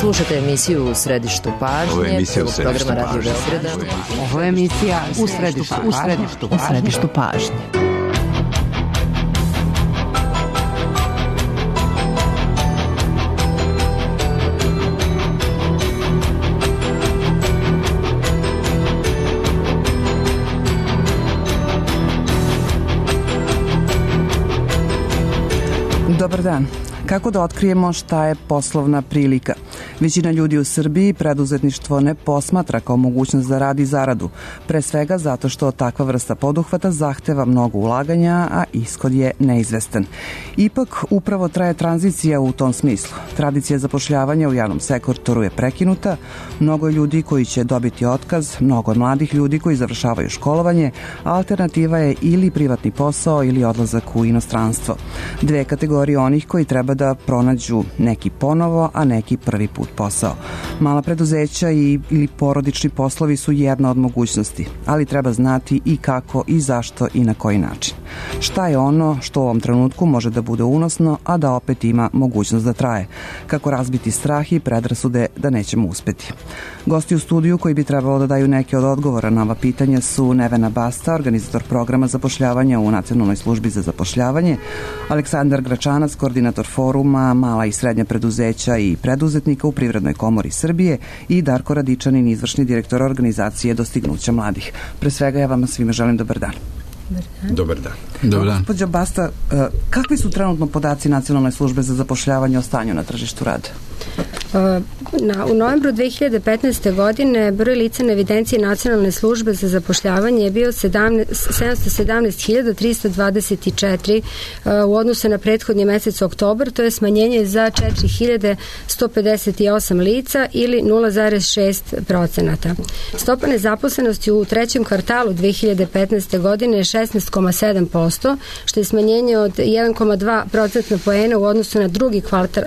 Slušate emisiju U središtu pažnje. Ovo je emisija U središtu programa Radio Beograda. Ovo je emisija U središtu pažnje. Dobar dan. Kako da otkrijemo šta je poslovna prilika? Većina ljudi u Srbiji preduzetništvo ne posmatra kao mogućnost za rad i zaradu, pre svega zato što takva vrsta poduhvata zahteva mnogo ulaganja, a ishod je neizvestan. Ipak, upravo traje tranzicija u tom smislu. Tradicija zapošljavanja u javnom sektoru je prekinuta, mnogo je ljudi koji će dobiti otkaz, mnogo mladih ljudi koji završavaju školovanje, a alternativa je ili privatni posao ili odlazak u inostranstvo. Dve kategorije onih koji treba da pronađu neki ponovo, a neki prvi put posao. Mala preduzeća ili porodični poslovi su jedna od mogućnosti, ali treba znati i kako i zašto i na koji način. Šta je ono što u ovom trenutku može da bude unosno, a da opet ima mogućnost da traje? Kako razbiti strah i predrasude da nećemo uspeti? Gosti u studiju koji bi trebalo da daju neke od odgovora na ova pitanja su Nevena Basta, organizator programa zapošljavanja u Nacionalnoj službi za zapošljavanje, Aleksandar Gračanac, koordinator foruma Mala i srednja preduzeća i preduzetnika u Privrednoj komori Srbije i Darko Radičanin, izvršni direktor organizacije Dostignuća mladih. Pre svega ja vama svima želim dobar dan. Dobar dan. Gospođo Basta, kakvi su trenutno podaci Nacionalne službe za zapošljavanje o stanju na tržištu rada? U novembru 2015. godine broj lica na evidenciji Nacionalne službe za zapošljavanje je bio 717.324 u odnosu na prethodni mesec oktobar, to je smanjenje za 4.158 lica ili 0,6%. Stopa nezaposlenosti u trećem kvartalu 2015. godine je 16,7%, što je smanjenje od 1,2% poena u odnosu na drugi kvartal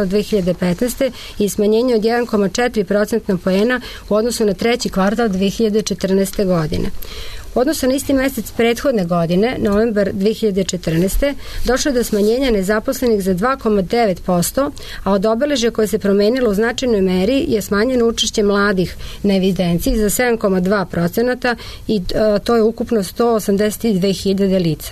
2015. i smanjenje od 1,4% poena u odnosu na treći kvartal 2014. godine. U odnosu na isti mesec prethodne godine, novembar 2014. došlo je do smanjenja nezaposlenih za 2,9%, a od obeležja koje se promenilo u značajnoj meri je smanjeno učešće mladih na evidenciji za 7,2% i to je ukupno 182.000 lica.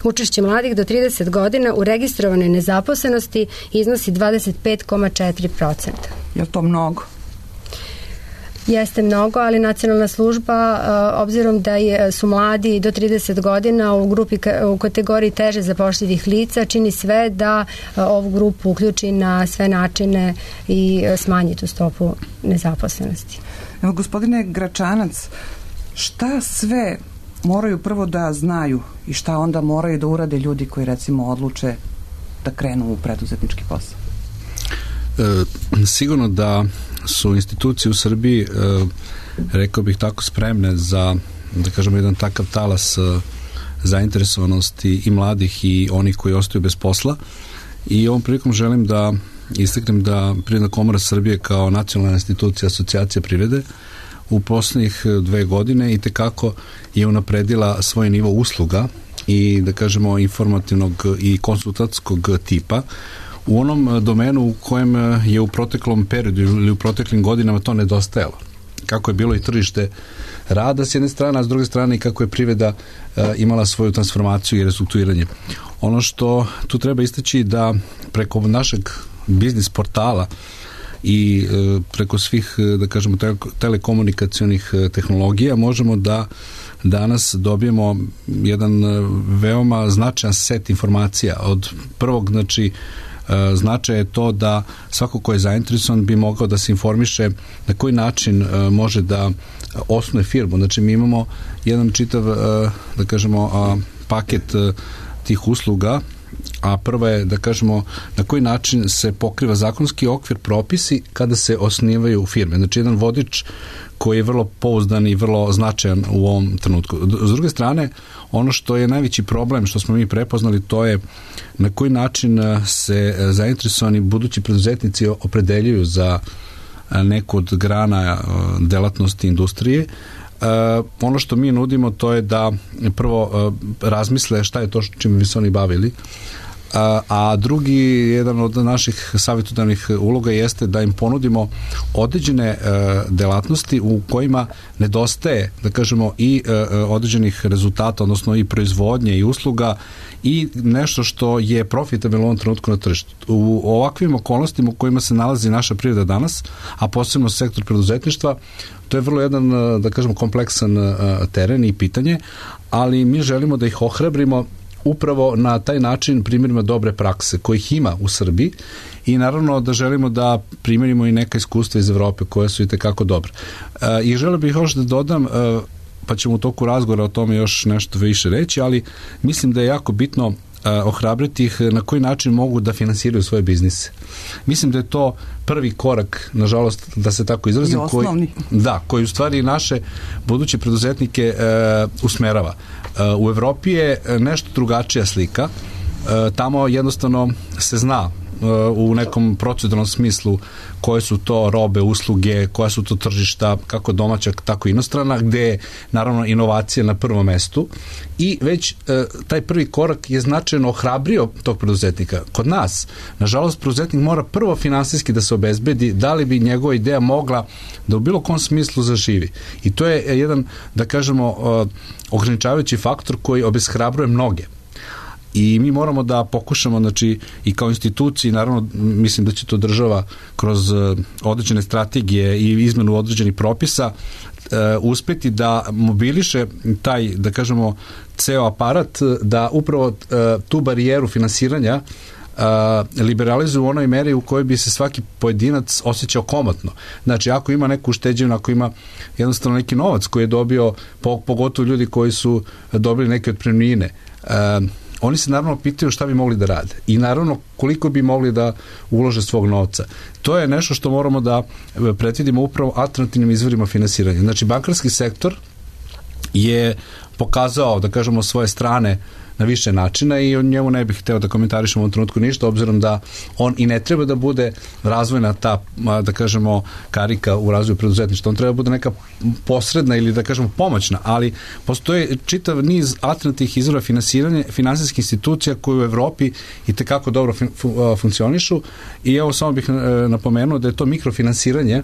Učešće mladih do 30 godina u registrovanoj nezaposlenosti iznosi 25,4%. Je li to mnogo? Jeste mnogo, ali Nacionalna služba, obzirom da su mladi do 30 godina u kategoriji teže zapošljivih lica, čini sve da ovu grupu uključi na sve načine i smanji tu stopu nezaposlenosti. Evo, gospodine Gračanac, šta sve moraju prvo da znaju i šta onda moraju da urade ljudi koji recimo odluče da krenu u preduzetnički posao? Sigurno da su institucije u Srbiji, rekao bih tako, spremne za, da kažemo, jedan takav talas zainteresovanosti i mladih i onih koji ostaju bez posla. I ovom prilikom želim da istaknem da Privredna komora Srbije kao nacionalna institucija asocijacije privrede u poslednjih 2 godine i tekako je unapredila svoj nivo usluga i, da kažemo, informativnog i konsultantskog tipa u onom domenu u kojem je u proteklom periodu ili u proteklim godinama to nedostajalo. Kako je bilo i tržište rada s jedne strane, a s druge strane i kako je privreda imala svoju transformaciju i restrukturiranje. Ono što tu treba istaći da preko našeg biznis portala i preko svih, da kažemo, telekomunikacionih tehnologija možemo da danas dobijemo jedan veoma značajan set informacija. Od prvog, znači, značaj je to da svako ko je zainteresovan bi mogao da se informiše na koji način može da osnuje firmu. Znači, mi imamo jedan čitav, da kažemo, paket tih usluga, a prva je, da kažemo, na koji način se pokriva zakonski okvir, propisi kada se osnivaju firme. Znači, jedan vodič koji je vrlo pouzdan i vrlo značajan u ovom trenutku. S druge strane, ono što je najveći problem, što smo mi prepoznali, to je na koji način se zainteresovani budući preduzetnici opredeljuju za neku od grana delatnosti industrije. Ono što mi nudimo, to je da prvo razmisle šta je to čime bi se oni bavili, a drugi, jedan od naših savjetodavnih uloga jeste da im ponudimo određene delatnosti u kojima nedostaje, da kažemo, i određenih rezultata, odnosno i proizvodnje i usluga i nešto što je profitabilno u ovom trenutku na tržištu. U ovakvim okolnostima u kojima se nalazi naša privreda danas, a posebno sektor preduzetništva, to je vrlo jedan, da kažemo, kompleksan teren i pitanje, ali mi želimo da ih ohrabrimo upravo na taj način primjerima dobre prakse kojih ima u Srbiji i naravno da želimo da primjerimo i neka iskustva iz Evrope koje su i tekako dobre. I želeo bih još da dodam, pa ćemo u toku razgovora o tome još nešto više reći, ali mislim da je jako bitno ohrabriti ih na koji način mogu da finansiraju svoje biznise. Mislim da je to prvi korak, nažalost, da se tako izrazim, koji u stvari naše buduće preduzetnike usmerava. U Evropi je nešto drugačija slika. Tamo jednostavno se zna u nekom proceduralnom smislu koje su to robe, usluge, koja su to tržišta, kako domaća, tako i inostrana, gde je naravno inovacija na prvom mestu i već taj prvi korak je značajno ohrabrio tog preduzetnika. Kod nas, nažalost, preduzetnik mora prvo finansijski da se obezbedi da li bi njegova ideja mogla da u bilo kom smislu zaživi. I to je jedan, da kažemo, ograničavajući faktor koji obeshrabruje mnoge. I mi moramo da pokušamo, znači, i kao instituciji, naravno, mislim da će to država kroz određene strategije i izmenu određenih propisa uspeti da mobiliše taj, da kažemo, ceo aparat, da upravo tu barijeru finansiranja liberalizuju u onoj meri u kojoj bi se svaki pojedinac osjećao komotno. Znači, ako ima neku ušteđevinu, ako ima jednostavno neki novac koji je dobio, pogotovo ljudi koji su dobili neke otpremnine, oni se naravno pitaju šta bi mogli da rade i naravno koliko bi mogli da ulože svog novca. To je nešto što moramo da predvidimo upravo alternativnim izvorima finansiranja. Znači, bankarski sektor je pokazao, da kažemo, svoje strane na više načina i o njemu ne bih hteo da komentarišem u ovom trenutku ništa, obzirom da on i ne treba da bude razvojna ta, da kažemo, karika u razvoju preduzetništva. On treba da bude neka posredna ili, da kažemo, pomoćna, ali postoje čitav niz alternativnih izvora finansiranja finansijskih institucija koje u Evropi i tekako dobro funkcionišu i evo samo bih napomenuo da je to mikrofinansiranje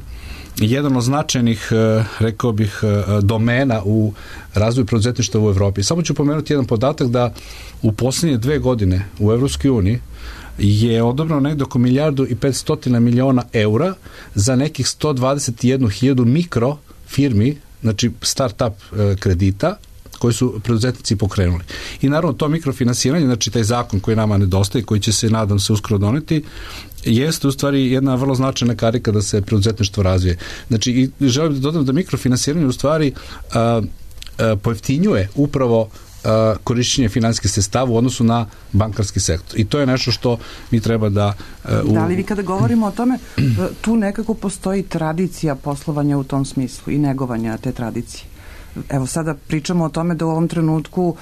jedan od značajnih, rekao bih, domena u razvoju preduzetništva u Evropi. Samo ću pomenuti jedan podatak da u posljednje 2 godine u Evropskoj uniji je odobrano negdje oko 1.500 miliona eura za nekih 121.000 mikrofirmi, znači start-up kredita, koji su preduzetnici pokrenuli. I naravno to mikrofinansiranje, znači taj zakon koji nama nedostaje, koji će se, nadam se, uskoro doneti, jeste u stvari jedna vrlo značajna karika da se preduzetništvo razvije. Znači, i želim da dodam da mikrofinansiranje u stvari pojeftinjuje upravo korišćenje finansijskih sredstava u odnosu na bankarski sektor. I to je nešto što mi treba da... Da li vi kada govorimo o tome, tu nekako postoji tradicija poslovanja u tom smislu i negovanja te tradicije. Evo sada pričamo o tome da u ovom trenutku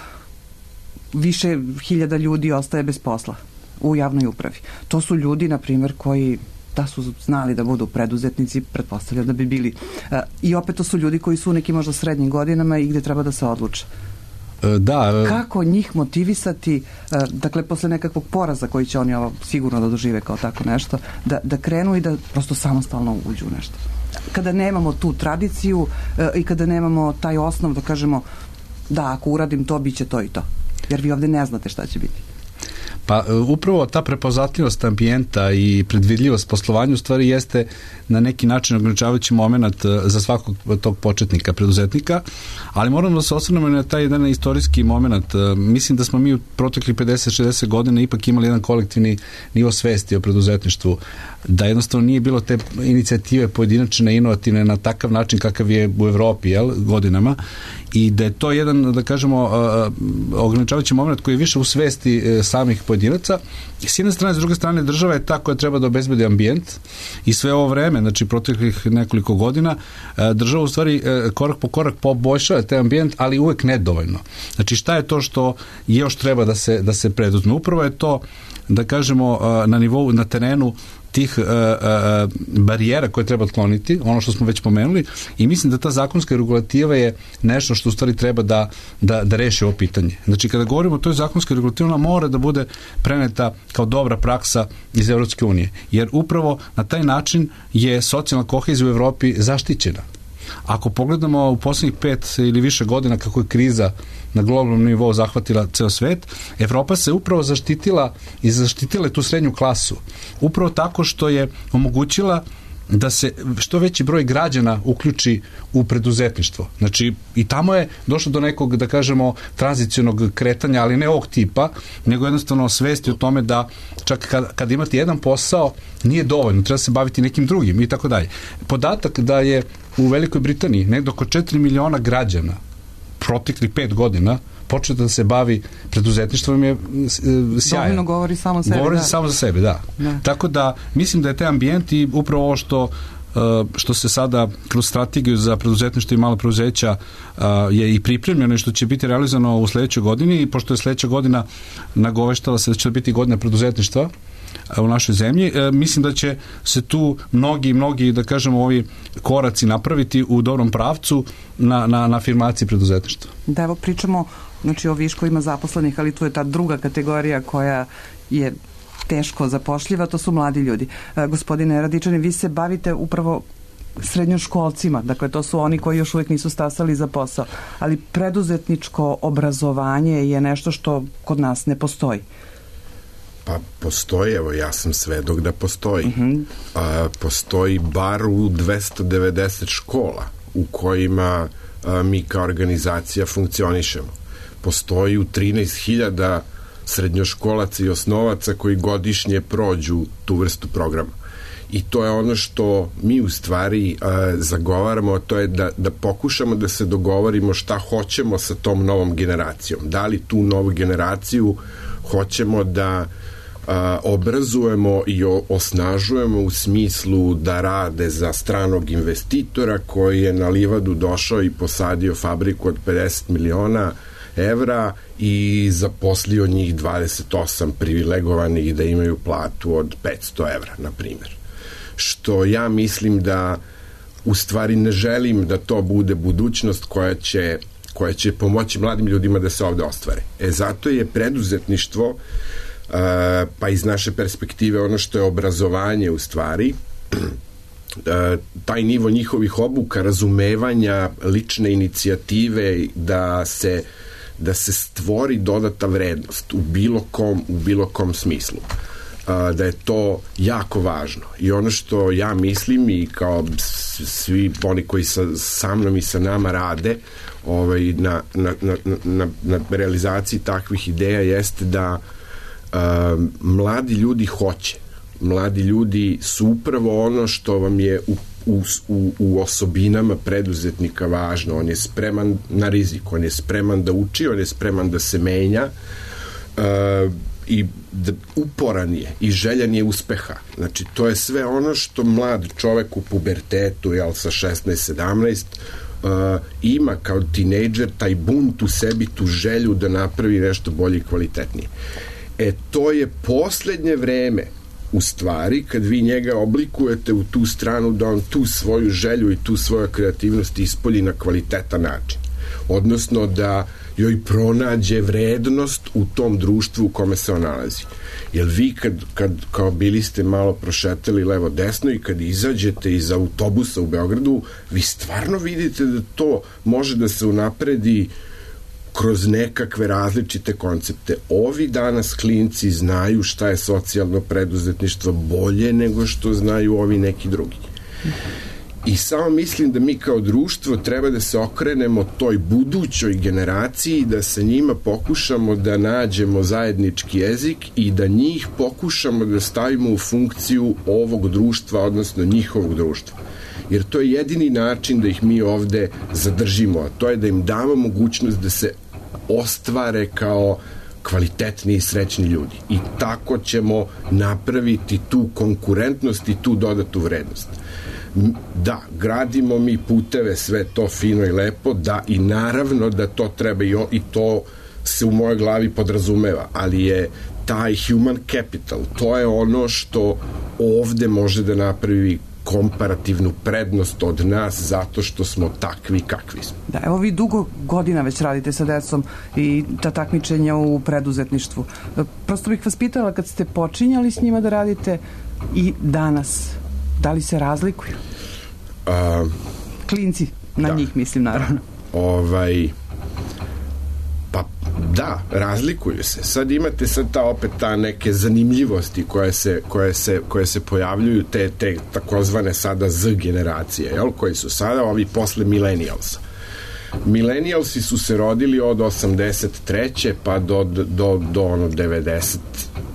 više hiljada ljudi ostaje bez posla u javnoj upravi. To su ljudi, na primjer, koji da su znali da budu preduzetnici, pretpostavljam da bi bili. I opet to su ljudi koji su u nekim možda srednjim godinama i gde treba da se odluče. Da. Kako njih motivisati, dakle, posle nekakvog poraza koji će oni ovo sigurno da dožive kao tako nešto, da krenu i da prosto samostalno uđu u nešto. Kada nemamo tu tradiciju i kada nemamo taj osnov da kažemo da, ako uradim to, bit će to i to. Jer vi ovde ne znate šta će biti. Pa upravo ta prepoznatljivost ambijenta i predvidljivost poslovanja u stvari jeste na neki način ograničavajući moment za svakog tog početnika, preduzetnika, ali moramo da se osvrnemo na taj jedan istorijski moment. Mislim da smo mi u proteklih 50-60 godina ipak imali jedan kolektivni nivo svesti o preduzetništvu, da jednostavno nije bilo te inicijative pojedinačne, inovativne na takav način kakav je u Evropi, godinama, i da je to jedan, da kažemo, ograničavajući moment koji je više u svesti samih pojedinaca. S jedne strane, s druge strane, država je ta koja treba da obezbedi ambijent i sve ovo vreme, znači proteklih nekoliko godina, država u stvari korak po korak poboljšava taj ambijent, ali uvek nedovoljno. Znači, šta je to što još treba da se preduzme? Upravo je to, da kažemo, na nivou, na terenu tih barijera koje treba otkloniti, ono što smo već pomenuli, i mislim da ta zakonska regulativa je nešto što u stvari treba da reši ovo pitanje. Znači, kada govorimo o toj zakonskoj regulativi, ona mora da bude preneta kao dobra praksa iz Evropske unije, jer upravo na taj način je socijalna kohezija u Evropi zaštićena. Ako pogledamo u poslednjih 5 ili više godina kako je kriza na globalnom nivou zahvatila ceo svet, Evropa se upravo zaštitila i zaštitila tu srednju klasu. Upravo tako što je omogućila da se što veći broj građana uključi u preduzetništvo. Znači, i tamo je došlo do nekog, da kažemo, tranzicionog kretanja, ali ne ovog tipa, nego jednostavno svesti o tome da čak kad imate jedan posao, nije dovoljno, treba se baviti nekim drugim i tako dalje. Podatak da je u Velikoj Britaniji negdje oko 4 miliona građana proteklih 5 godina početi da se bavi preduzetništvom je sjajan. Dovoljno govori samo sebe. Govori samo za sebe, da. Tako da mislim da je taj ambijent i upravo ovo što se sada kroz strategiju za preduzetništvo i mala preduzeća je i pripremljeno i što će biti realizovano u sledećoj godini, i pošto je sledeća godina nagoveštala se da će biti godina preduzetništva u našoj zemlji, mislim da će se tu mnogi, da kažemo, ovi koraci napraviti u dobrom pravcu na afirmaciji preduzetništva. Da, evo pričamo, znači, o viškovima zaposlenih, ali tu je ta druga kategorija koja je teško zapošljiva, to su mladi ljudi. Gospodine Radičani, vi se bavite upravo srednjoškolcima, dakle to su oni koji još uvijek nisu stasali za posao, ali preduzetničko obrazovanje je nešto što kod nas ne postoji. Pa postoji, evo ja sam svedok da postoji. Postoji bar u 290 škola u kojima mi kao organizacija funkcionišemo. Postoji u 13.000 srednjoškolaca i osnovaca koji godišnje prođu tu vrstu programa. I to je ono što mi u stvari zagovaramo, to je da pokušamo da se dogovorimo šta hoćemo sa tom novom generacijom. Da li tu novu generaciju hoćemo da obrazujemo i osnažujemo u smislu da rade za stranog investitora koji je na livadu došao i posadio fabriku od 50 miliona evra i zaposlio njih 28 privilegovanih da imaju platu od 500 evra, na primjer. Što ja mislim da u stvari ne želim da to bude budućnost koja će pomoći mladim ljudima da se ovde ostvare. Zato je preduzetništvo, pa iz naše perspektive ono što je obrazovanje u stvari, taj nivo njihovih obuka, razumevanja, lične inicijative, da se stvori dodata vrednost u bilo kom smislu. Da je to jako važno. I ono što ja mislim, i kao svi oni koji sa mnom i sa nama rade na realizaciji takvih ideja, jeste da mladi ljudi hoće. Mladi ljudi su upravo ono što vam je u osobinama preduzetnika važno. On je spreman na rizik, on je spreman da uči, on je spreman da se menja i uporan je i željan je uspeha. Znači, to je sve ono što mlad čovek u pubertetu, sa 16-17 ima kao tinejdžer, taj bunt u sebi, tu želju da napravi nešto bolje i kvalitetnije. To je poslednje vreme u stvari kad vi njega oblikujete u tu stranu da on tu svoju želju i tu svoju kreativnost ispolji na kvalitetan način. Odnosno da joj pronađe vrednost u tom društvu u kome se on nalazi. Jer vi kad kao bili ste malo prošetali levo desno i kad izađete iz autobusa u Beogradu, vi stvarno vidite da to može da se unapredi kroz nekakve različite koncepte. Ovi danas klinci znaju šta je socijalno preduzetništvo bolje nego što znaju ovi neki drugi. I samo mislim da mi kao društvo treba da se okrenemo toj budućoj generaciji, da sa njima pokušamo da nađemo zajednički jezik i da njih pokušamo da stavimo u funkciju ovog društva, odnosno njihovog društva. Jer to je jedini način da ih mi ovde zadržimo, a to je da im damo mogućnost da se ostvare kao kvalitetni i srećni ljudi. I tako ćemo napraviti tu konkurentnost i tu dodatu vrednost. Da, gradimo mi puteve, sve to fino i lepo, da, i naravno da to treba i to se u mojoj glavi podrazumeva, ali je taj human capital, to je ono što ovde može da napravi komparativnu prednost od nas zato što smo takvi kakvi smo. Da, evo vi dugo godina već radite sa decom i ta takmičenja u preduzetništvu. Prosto bih vas pitala, kad ste počinjali s njima da radite i danas, da li se razlikuju? Klinci, na njih mislim naravno. Pa da, razlikuju se. Sad imate opet ta neke zanimljivosti koje se pojavljuju, te takozvane sada Z generacije, jel, koji su sada ovi posle millennialsa. Millennialsi su se rodili od 83. pa do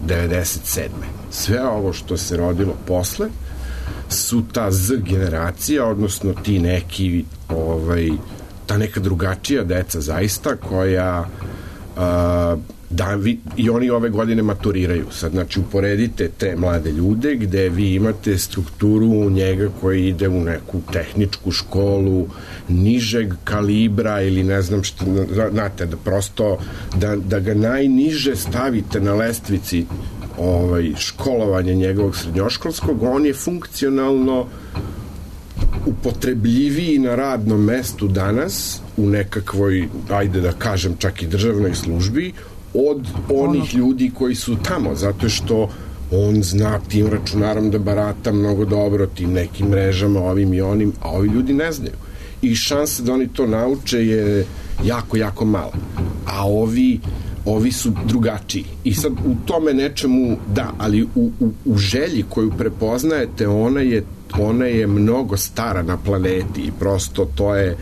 97. Sve ovo što se rodilo posle su ta Z generacija, odnosno ti neki ta neka drugačija deca zaista koja i oni ove godine maturiraju. Sad, znači, uporedite te mlade ljude gde vi imate strukturu njega koji ide u neku tehničku školu nižeg kalibra ili ne znam što, znate, da prosto da ga najniže stavite na lestvici školovanja njegovog srednjoškolskog, on je funkcionalno upotrebljiviji na radnom mestu danas u nekakvoj, ajde da kažem, čak i državnoj službi od onih ljudi koji su tamo, zato što on zna tim računarom da barata mnogo dobro, tim nekim mrežama, ovim i onim, a ovi ljudi ne znaju. I šansa da oni to nauče je jako, jako mala. A ovi su drugačiji. I sad u tome nečemu, da, ali u želji koju prepoznajete, ona je mnogo stara na planeti i prosto to je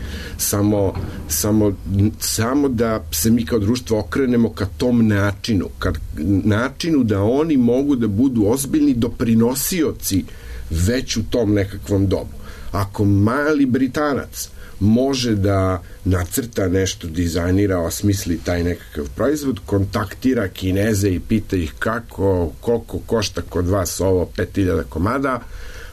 samo da se mi kao društvo okrenemo ka tom načinu da oni mogu da budu ozbiljni doprinosioci već u tom nekakvom dobu. Ako mali Britanac može da nacrta nešto, dizajnira, osmisli taj nekakav proizvod, kontaktira Kineze i pita ih koliko košta kod vas ovo 5000 komada,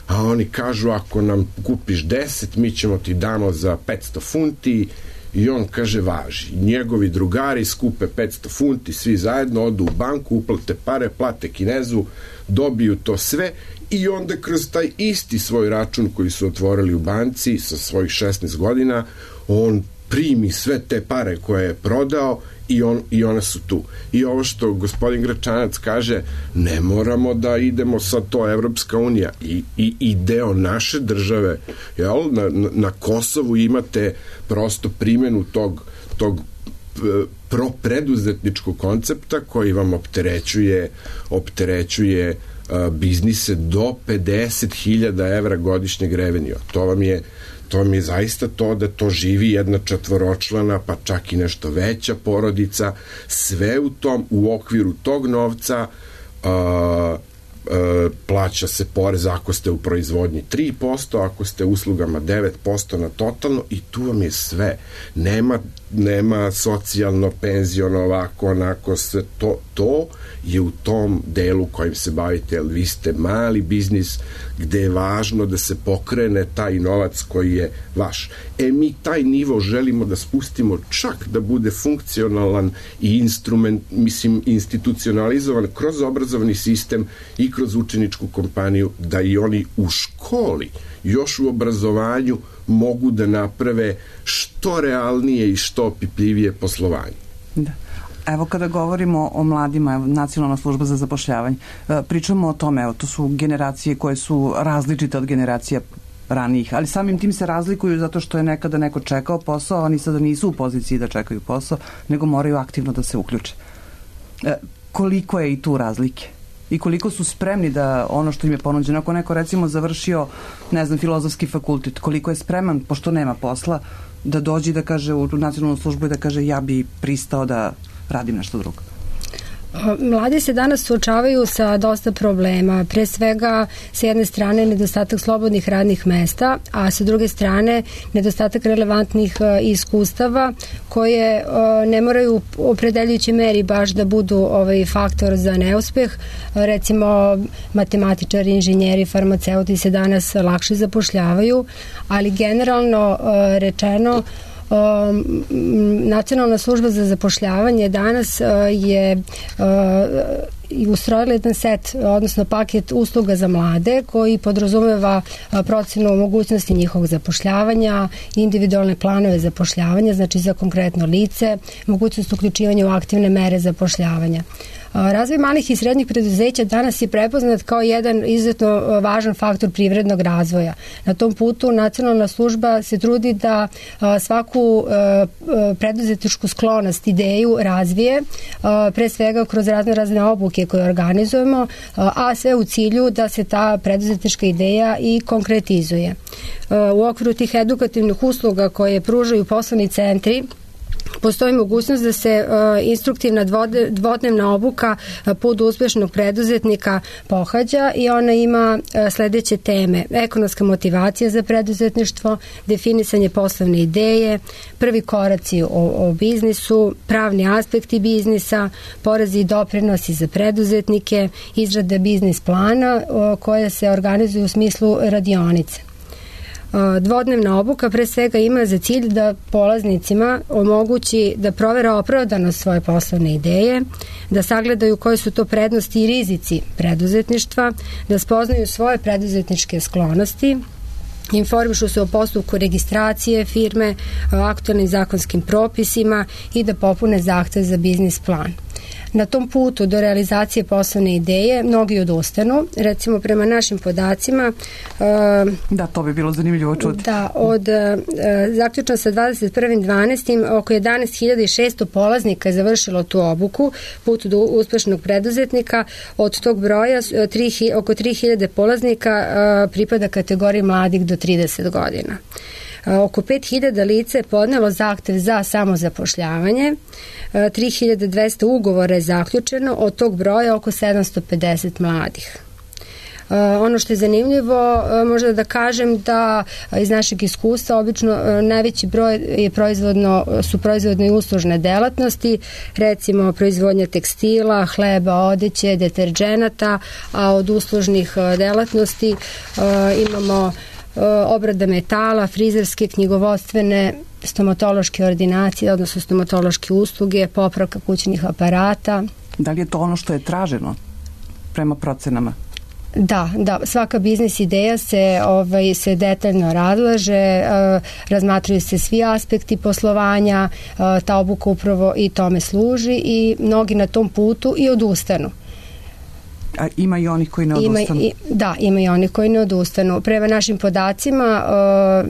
a oni kažu ako nam kupiš 10, mi ćemo ti damo za 500 funti i on kaže važi. Njegovi drugari skupe 500 funti, svi zajedno odu u banku, uplate pare, plate Kinezu, dobiju to sve i onda kroz taj isti svoj račun koji su otvorili u banci sa svojih 16 godina, on primi sve te pare koje je prodao i one su tu. I ovo što gospodin Gračanac kaže, ne moramo da idemo sa to Evropska unija i deo naše države, jel? Na Kosovu imate prosto primjenu tog preduzetničkog koncepta koji vam opterećuje biznise do 50.000 evra godišnjeg revenija. To vam je zaista to da to živi jedna četvoročlana, pa čak i nešto veća porodica, sve u okviru tog novca plaća se porez ako ste u proizvodnji 3%, ako ste uslugama 9% na totalno i tu vam je sve. Nema socijalno, penziono, ovako, onako, sve to je u tom delu kojim se bavite, jer vi ste mali biznis gde je važno da se pokrene taj novac koji je vaš. Mi taj nivo želimo da spustimo čak da bude funkcionalan i institucionalizovan kroz obrazovni sistem i kroz učeničku kompaniju, da i oni u školi, još u obrazovanju mogu da naprave što realnije i što opipljivije poslovanje. Da. Evo kada govorimo o mladima, Nacionalna služba za zapošljavanje, pričamo o tome, to su generacije koje su različite od generacija ranijih, ali samim tim se razlikuju zato što je nekada neko čekao posao, a oni sada nisu u poziciji da čekaju posao, nego moraju aktivno da se uključe. Koliko je i tu razlike? I koliko su spremni da ono što im je ponuđeno, ako neko recimo završio, ne znam, filozofski fakultet, koliko je spreman, pošto nema posla, da dođe da kaže u nacionalnu službu i da kaže ja bi pristao da radim nešto drugo? Mladi se danas suočavaju sa dosta problema. Pre svega, sa jedne strane, nedostatak slobodnih radnih mesta, a sa druge strane, nedostatak relevantnih iskustava koje ne moraju u opredeljujućoj meri baš da budu faktor za neuspeh. Recimo, matematičari, inženjeri, farmaceuti se danas lakše zapošljavaju, ali generalno rečeno, Nacionalna služba za zapošljavanje danas ustrojili jedan set, odnosno paket usluga za mlade koji podrazumeva procenu mogućnosti njihovog zapošljavanja, individualne planove zapošljavanja, znači za konkretno lice, mogućnost uključivanja u aktivne mere zapošljavanja. Razvoj malih i srednjih preduzeća danas je prepoznat kao jedan izuzetno važan faktor privrednog razvoja. Na tom putu nacionalna služba se trudi da svaku preduzetničku sklonost, ideju razvije, pre svega kroz razne obuke koje organizujemo, a sve u cilju da se ta preduzetnička ideja i konkretizuje. U okviru tih edukativnih usluga koje pružaju poslovni centri, postoji mogućnost da se instruktivna dvodnevna obuka Put uspešnog preduzetnika pohađa i ona ima sledeće teme: ekonomska motivacija za preduzetništvo, definisanje poslovne ideje, prvi koraci o biznisu, pravni aspekti biznisa, porezi i doprinosi za preduzetnike, izrada biznis plana koja se organizuje u smislu radionice. Dvodnevna obuka pre svega ima za cilj da polaznicima omogući da provere opravdanost svoje poslovne ideje, da sagledaju koje su to prednosti i rizici preduzetništva, da spoznaju svoje preduzetničke sklonosti, informišu se o postupku registracije firme, aktualnim zakonskim propisima i da popune zahtev za biznis plan. Na tom putu do realizacije poslovne ideje mnogi odustanu. Recimo, prema našim podacima... Da, to bi bilo zanimljivo čuti. Da, zaključno sa 21.12. oko 11.600 polaznika je završilo tu obuku, Put do uspešnog preduzetnika. Od tog broja oko 3.000 polaznika pripada kategoriji mladih do 30 godina. Oko 5.000 lica je podnelo zahtev za samozapošljavanje, 3.200 ugovora je zaključeno, od tog broja oko 750 mladih. Ono što je zanimljivo, možda da kažem da iz našeg iskustva obično najveći broj je su proizvodne i uslužne delatnosti, recimo proizvodnja tekstila, hleba, odeće, deterđenata, a od uslužnih delatnosti imamo obrada metala, frizerske, knjigovodstvene, stomatološke ordinacije, odnosno stomatološke usluge, popravka kućnih aparata. Da li je to ono što je traženo prema procenama? Da, svaka biznis ideja se detaljno razlaže, razmatraju se svi aspekti poslovanja, ta obuka upravo i tome služi i mnogi na tom putu i odustanu. A ima i onih koji ne odustanu? Da, ima i onih koji ne odustanu. Prema našim podacima,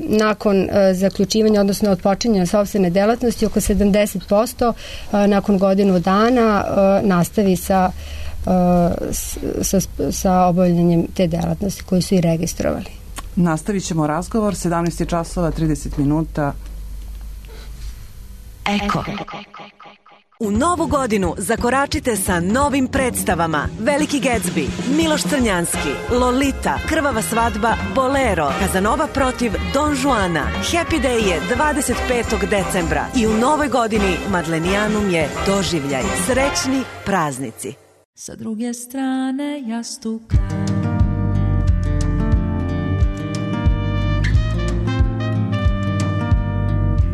nakon zaključivanja, odnosno odpočinjanja sopstvene delatnosti, oko 70% nakon godinu dana nastavi sa obavljanjem te delatnosti koju su i registrovali. Nastavit ćemo razgovor, 17 časova, 30 minuta. Eko. U novu godinu zakoračite sa novim predstavama: Veliki Gatsby, Miloš Crnjanski, Lolita, Krvava svadba, Bolero, Kazanova protiv Don Juana. Happy Day je 25. decembra i u novoj godini Madlenijanum je doživljaj. Srećni praznici. Sa druge strane jastuka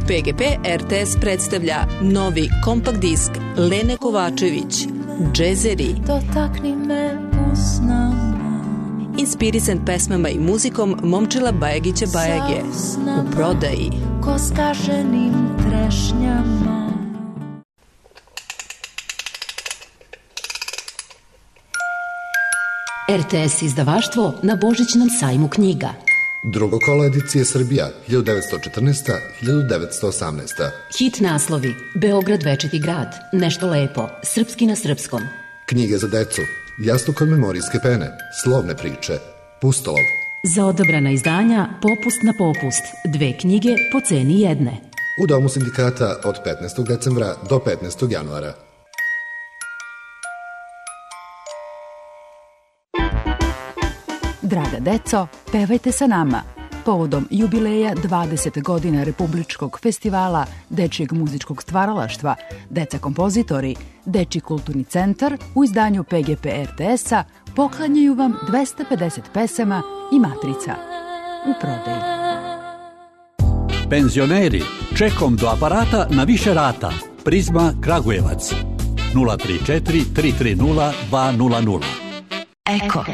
PGP RTS predstavlja novi kompakt disk Lene Kovačević, Džezeri. Dotakni me usnama, inspirisan pesmama i muzikom Momčila Bajagića Bajage. U prodaji. Ko skaženim trešnjama. RTS izdavaštvo na Božićnom sajmu knjiga. Drugo kolo edicije Srbija, 1914-1918. Hit naslovi: Beograd večiti grad, Nešto lepo, Srpski na srpskom. Knjige za decu, Jastuk od memorijske pene, Slovne priče, Pustolov. Za odabrana izdanja Popust na popust, 2 knjige po ceni jedne. U Domu sindikata od 15. decembra do 15. januara. Draga deco, pevajte sa nama. Povodom jubileja 20 godina Republičkog festivala Dečijeg muzičkog stvaralaštva, Deca kompozitori, Dečiji kulturni centar u izdanju PGP RTS-a poklanjaju vam 250 pesama i matrica. U prodaji. Penzioneri, čekom do aparata na više rata. Prizma Kragujevac. 034 330 200. Eko.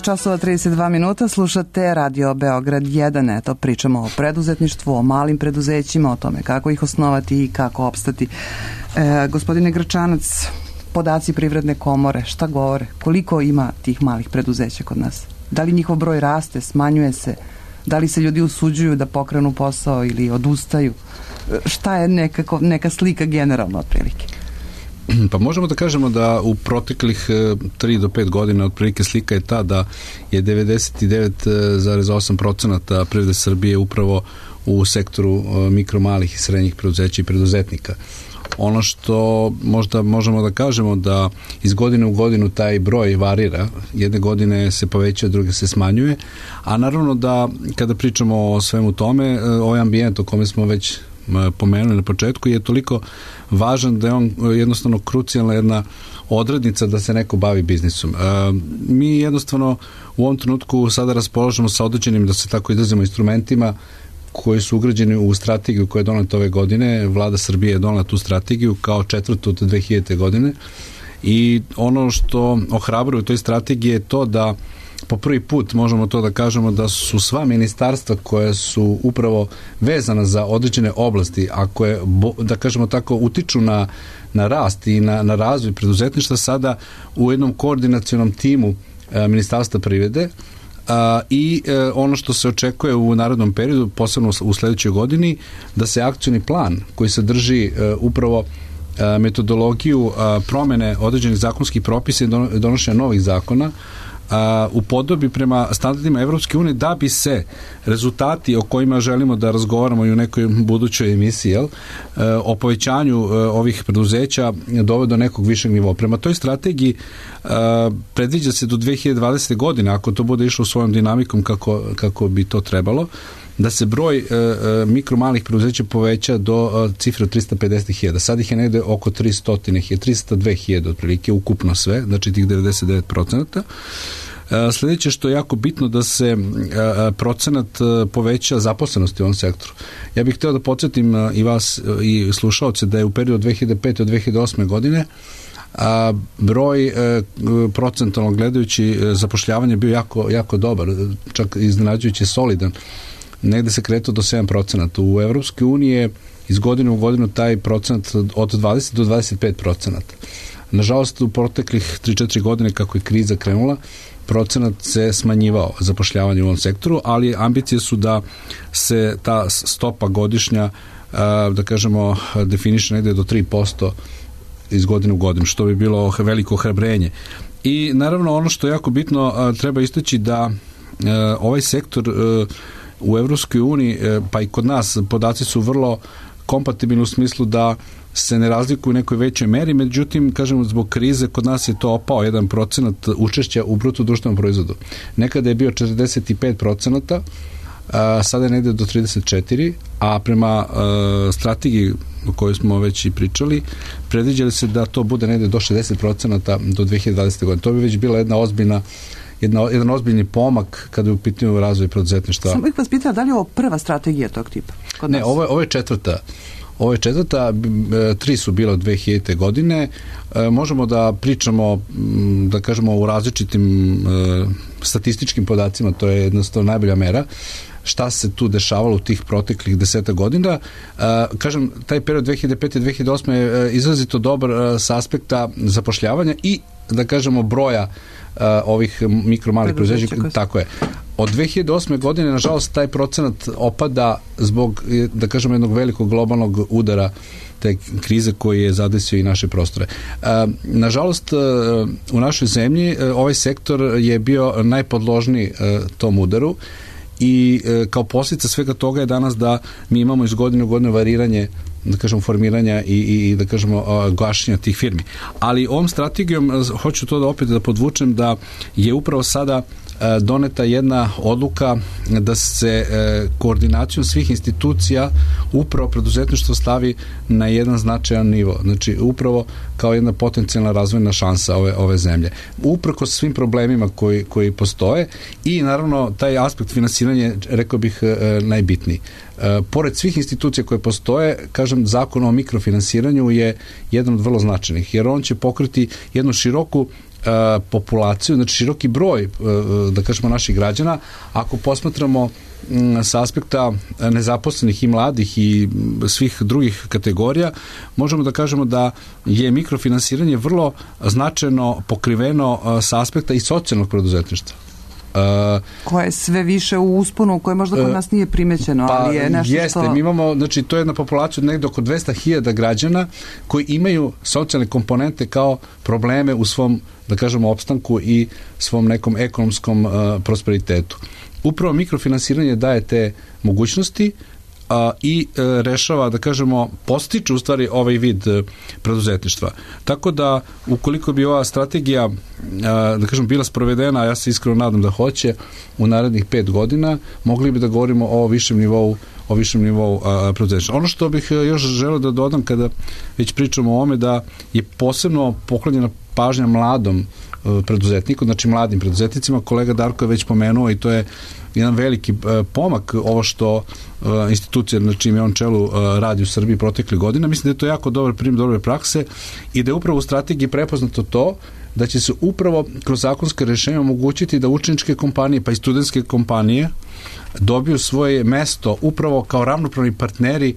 časova 32 minuta, slušate Radio Beograd 1. Eto, pričamo o preduzetništvu, o malim preduzećima, o tome kako ih osnovati i kako opstati. Gospodine Gračanac, podaci Privredne komore, šta govore? Koliko ima tih malih preduzeća kod nas? Da li njihov broj raste, smanjuje se? Da li se ljudi usuđuju da pokrenu posao ili odustaju? Šta je neka slika generalno otprilike? Pa možemo da kažemo da u proteklih 3 do 5 godina otprilike slika je ta da je 99,8% privrede Srbije upravo u sektoru mikro, malih i srednjih preduzeća i preduzetnika. Ono što možda možemo da kažemo da iz godine u godinu taj broj varira, jedne godine se poveća, druge se smanjuje, a naravno da kada pričamo o svemu tome, ovaj ambijent o kome smo već pomenuli na početku je toliko važan da je on jednostavno krucijalna jedna odrednica da se neko bavi biznisom. Mi jednostavno u ovom trenutku sada raspolažemo sa određenim, da se tako izrazimo, instrumentima koji su ugrađeni u strategiju koja je doneta ove godine. Vlada Srbije je donela tu strategiju kao 4. od 2000. godine i ono što ohrabruje u toj strategiji je to da po prvi put možemo to da kažemo da su sva ministarstva koja su upravo vezana za određene oblasti, a koje, da kažemo tako, utiču na rast i na razvoj preduzetništva sada u jednom koordinacionom timu Ministarstva privrede i ono što se očekuje u narednom periodu, posebno u sledećoj godini, da se akcioni plan koji sadrži upravo metodologiju promene određenih zakonskih propisa i donošenja novih zakona u podobi prema standardima Evropske unije da bi se rezultati o kojima želimo da razgovaramo i u nekoj budućoj emisiji, o povećanju ovih preduzeća dovede do nekog višeg nivoa. Prema toj strategiji predviđa se do 2020. godine, ako to bude išlo svojom dinamikom kako bi to trebalo, da se broj mikro malih preduzeća poveća do cifre od 350.000. Sad ih je negde oko 300.000, 302.000 otprilike, ukupno sve, znači tih 99%. Sljedeće što je jako bitno da se procenat poveća zaposlenosti u ovom sektoru. Ja bih hteo da podsjetim i vas i slušaoce da je u periodu od 2005. do 2008. godine broj procentalno gledajući zapošljavanje bio jako dobar, čak iznenađujući solidan. Negde se kretao do 7%. U Evropskoj uniji je iz godine u godinu taj procenat od 20 do 25%. Nažalost, u proteklih 3-4 godine kako je kriza krenula, procenat se smanjivao zapošljavanje u ovom sektoru, ali ambicije su da se ta stopa godišnja, da kažemo, definiše negde do 3% iz godine u godinu, što bi bilo veliko ohrabrenje. I naravno ono što je jako bitno, treba istaći da ovaj sektor u Evropskoj uniji, pa i kod nas, podaci su vrlo kompatibilni u smislu da se ne razlikuju u nekoj većoj meri, međutim, kažemo, zbog krize kod nas je to opao 1% učešća u bruto društvenom proizvodu. Nekada je bio 45%, sada je negde do 34%, a prema strategiji o kojoj smo već i pričali, predviđali se da to bude negde do 60% do 2020. godine. To bi već bila jedan ozbiljni pomak kada je u pitanju razvoj preduzetništva. Samo bih vas pitala, da li je ovo prva strategija tog tipa? Ne, ovo je četvrta. Ovo je četvrta, 3 su bila od 2000. godine. Možemo da pričamo, da kažemo, u različitim statističkim podacima, to je jednostavno najbolja mera, šta se tu dešavalo u tih proteklih 10 godina. Kažem, taj period 2005-2008 je izrazito dobar sa aspekta zapošljavanja i, da kažemo, broja ovih mikro malih preduzeća. Tako je. Od 2008. godine, nažalost, taj procenat opada zbog, da kažemo, jednog velikog globalnog udara te krize koji je zadesio i naše prostore. Nažalost, u našoj zemlji ovaj sektor je bio najpodložniji tom udaru i kao posljedica svega toga je danas da mi imamo iz godine u godinu variranje da kažemo, formiranja i da kažemo, gašenja tih firmi. Ali ovom strategijom, hoću to da opet da podvučem, da je upravo sada doneta jedna odluka da se koordinacijom svih institucija upravo preduzetništvo stavi na jedan značajan nivo. Znači, upravo kao jedna potencijalna razvojna šansa ove zemlje. Uprkos svim problemima koji postoje i naravno taj aspekt finansiranja, rekao bih, najbitniji. Pored svih institucija koje postoje, kažem, zakon o mikrofinansiranju je jedan od vrlo značajnih, jer on će pokriti jednu široku populaciju, znači široki broj, da kažemo, naših građana. Ako posmatramo sa aspekta nezaposlenih i mladih i svih drugih kategorija, možemo da kažemo da je mikrofinansiranje vrlo značajno pokriveno sa aspekta i socijalnog preduzetništva. Koje je sve više u usponu, koje možda kod nas nije primećeno, ali je nešto jeste, mi imamo, znači, to je jedna populacija od negde oko 200.000 građana koji imaju socijalne komponente kao probleme u svom, da kažemo, opstanku i svom nekom ekonomskom prosperitetu. Upravo mikrofinansiranje daje te mogućnosti i rešava, da kažemo, postiče u stvari ovaj vid preduzetništva. Tako da, ukoliko bi ova strategija, da kažem, bila sprovedena, a ja se iskreno nadam da hoće, u narednih 5 godina, mogli bi da govorimo o višem nivou preduzetništva. Ono što bih još želeo da dodam kada već pričamo o ovome, da je posebno poklonjena pažnja mladom preduzetniku, znači mladim preduzetnicima. Kolega Darko je već pomenuo i to je jedan veliki pomak ovo što institucija na čim je on čelu radi u Srbiji protekle godine. Mislim da je to jako dobar primjer dobre prakse i da je upravo u strategiji prepoznato to da će se upravo kroz zakonske rešenja omogućiti da učeničke kompanije pa i studentske kompanije dobiju svoje mesto upravo kao ravnopravni partneri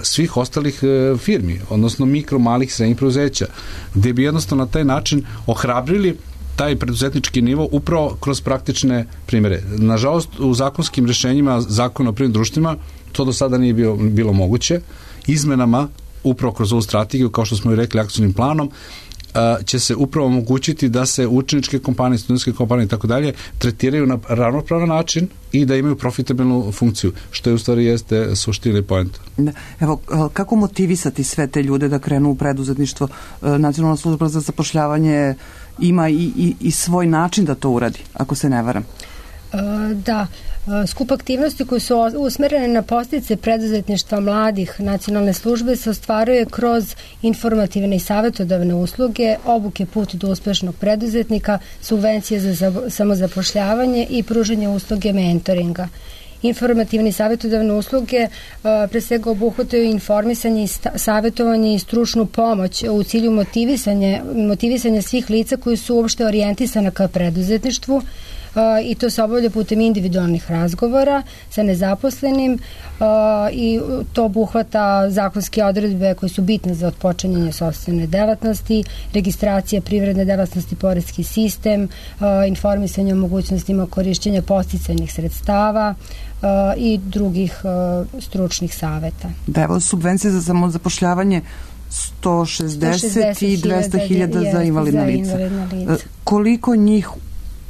svih ostalih firmi, odnosno mikro, malih, srednjih preduzeća, gde bi jednostavno na taj način ohrabrili taj preduzetnički nivo upravo kroz praktične primjere. Nažalost, u zakonskim rešenjima Zakona o privrednim društvima to do sada nije bilo moguće. Izmenama, upravo kroz ovu strategiju, kao što smo i rekli, akcionim planom, će se upravo omogućiti da se učeničke kompanije, studentske kompanije i tako dalje tretiraju na ravnopravan način i da imaju profitabilnu funkciju, što je u stvari jeste suština i poenta. Evo, kako motivisati sve te ljude da krenu u preduzetništvo? Nacionalna služba za zapošljavanje ima i svoj način da to uradi, ako se ne varam. Da, skup aktivnosti koje su usmerene na podstice preduzetništva mladih nacionalne službe se ostvaruje kroz informativne i savjetodavne usluge, obuke put do uspešnog preduzetnika, subvencije za samozapošljavanje i pružanje usluge mentoringa. Informativne i savjetodavne usluge pre svega obuhvataju informisanje, savjetovanje i stručnu pomoć u cilju motivisanja svih lica koji su uopšte orijentisana ka preduzetništvu i to se obavlja putem individualnih razgovora sa nezaposlenim i to obuhvata zakonske odredbe koje su bitne za otpočinjanje sopstvene delatnosti, registracija privredne delatnosti, poreski sistem, informisanje o mogućnostima korišćenja podsticajnih sredstava i drugih stručnih saveta. Da, evo subvencije za samozapošljavanje 160 i 200.000 za invalidna lica. Koliko njih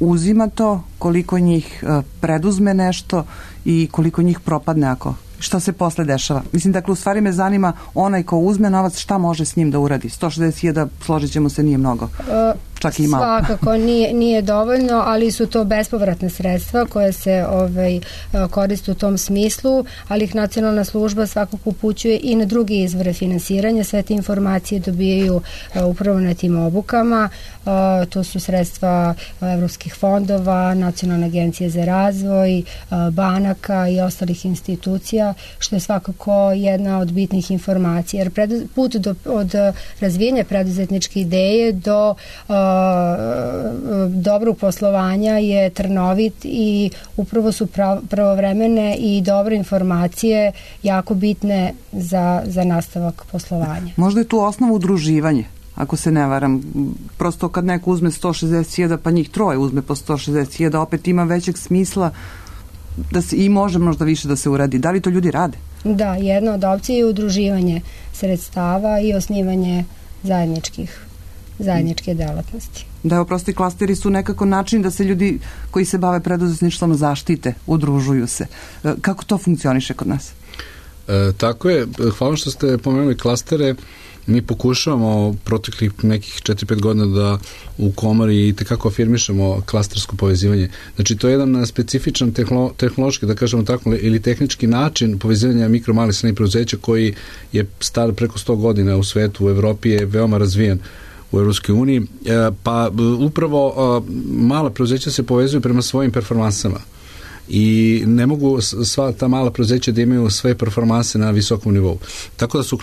uzima to, koliko njih preduzme nešto i koliko njih propadne šta se posle dešava? Mislim, dakle, u stvari me zanima onaj ko uzme novac, šta može s njim da uradi? 160.000, složit ćemo se, nije mnogo. Čak i malo. Svakako nije dovoljno, ali su to bespovratne sredstva koje se koriste u tom smislu, ali ih nacionalna služba svakako upućuje i na druge izvore finansiranja. Sve te informacije dobijaju upravo na tim obukama. To su sredstva evropskih fondova, Nacionalne agencije za razvoj, banaka i ostalih institucija, što je svakako jedna od bitnih informacija. Jer put od razvijenja preduzetničke ideje do dobrog poslovanja je trnovit i upravo su pravovremene i dobre informacije jako bitne za nastavak poslovanja. Možda je tu osnova udruživanje, ako se ne varam. Prosto kad neko uzme 160.000, pa njih troje uzme po 160.000, opet ima većeg smisla da se i može možda više da se uradi. Da li to ljudi rade? Da, jedna od opcija je udruživanje sredstava i osnivanje zajedničke delatnosti. Da, evo, prosti klasteri su nekako način da se ljudi koji se bave preduzetništvom zaštite, udružuju se. Kako to funkcioniše kod nas? Tako je, hvala što ste pomenuli klastere. Mi pokušavamo proteklih nekih 4-5 godina da u komori i tekako afirmišemo klastersko povezivanje. Znači, to je jedan specifičan tehnološki, da kažemo tako, ili tehnički način povezivanja mikro, malih, srednjih preduzeća koji je star preko 100 godina u svetu, u Evropi je veoma razvijen u Evropskoj uniji, pa upravo mala preduzeća se povezuju prema svojim performansama i ne mogu sva ta mala preduzeća da imaju sve performanse na visokom nivou. Tako da su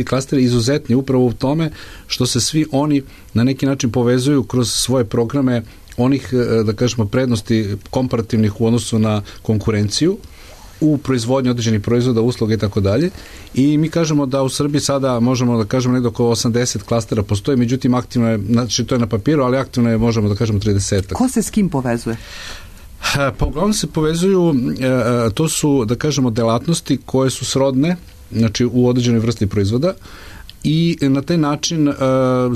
klasteri izuzetni upravo u tome što se svi oni na neki način povezuju kroz svoje programe onih, da kažemo, prednosti komparativnih u odnosu na konkurenciju u proizvodnji određenih proizvoda, usluga i tako dalje. I mi kažemo da u Srbiji sada možemo da kažemo nekdo oko 80 klastera postoji, međutim aktivno je, znači to je na papiru, ali aktivno je, možemo da kažemo, 30. Ko se s kim povezuje? Pa uglavnom se povezuju, to su, da kažemo, delatnosti koje su srodne, znači u određenoj vrsti proizvoda i na taj način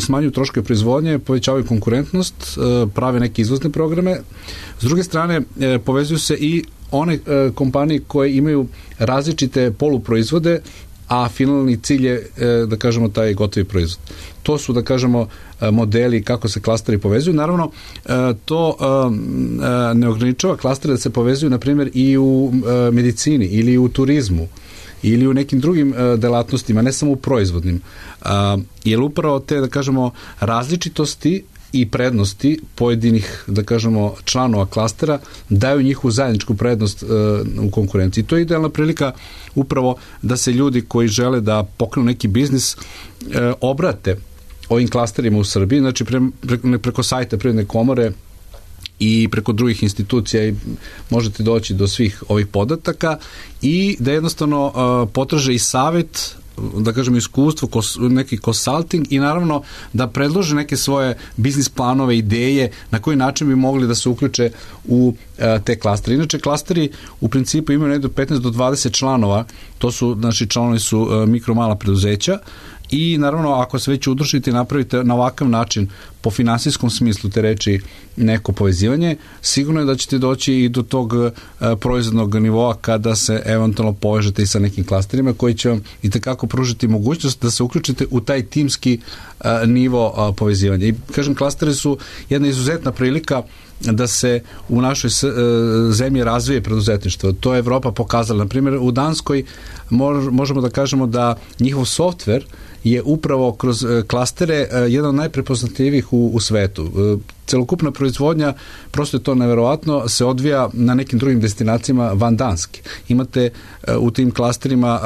smanjuju troškove proizvodnje, povećavaju konkurentnost, prave neke izvozne programe. S druge strane, povezuju se i one kompanije koje imaju različite poluproizvode, a finalni cilj je, da kažemo, taj gotovi proizvod. To su, da kažemo, modeli kako se klasteri povezuju. Naravno, to ne ograničava klastere da se povezuju, na primjer, i u medicini ili u turizmu ili u nekim drugim delatnostima, ne samo u proizvodnim. Jer upravo te, da kažemo, različitosti i prednosti pojedinih, da kažemo, članova klastera daju njihovu zajedničku prednost u konkurenciji. To je idealna prilika upravo da se ljudi koji žele da pokrenu neki biznis obrate ovim klasterima u Srbiji, znači preko sajta Privredne komore i preko drugih institucija i možete doći do svih ovih podataka i da jednostavno potraže i savjet, da kažem, iskustvo, neki consulting i naravno da predlože neke svoje biznis planove, ideje na koji način bi mogli da se uključe u te klastere. Inače, klasteri u principu imaju negdje 15 do 20 članova, to su, znači, članovi su mikro, mala preduzeća i naravno ako se već udružite i napravite na ovakav način po finansijskom smislu te reči neko povezivanje, sigurno je da ćete doći i do tog proizvodnog nivoa kada se eventualno povežete i sa nekim klasterima koji će vam i tekako pružiti mogućnost da se uključite u taj timski nivo povezivanja. I kažem, klasteri su jedna izuzetna prilika da se u našoj zemlji razvije preduzetništvo. To je Evropa pokazala. Na primjer, u Danskoj možemo da kažemo da njihov softver je upravo kroz klastere jedan od najprepoznatljivih u svetu. Celokupna proizvodnja, prosto je to neverovatno, se odvija na nekim drugim destinacijama van Danske. Imate u tim klasterima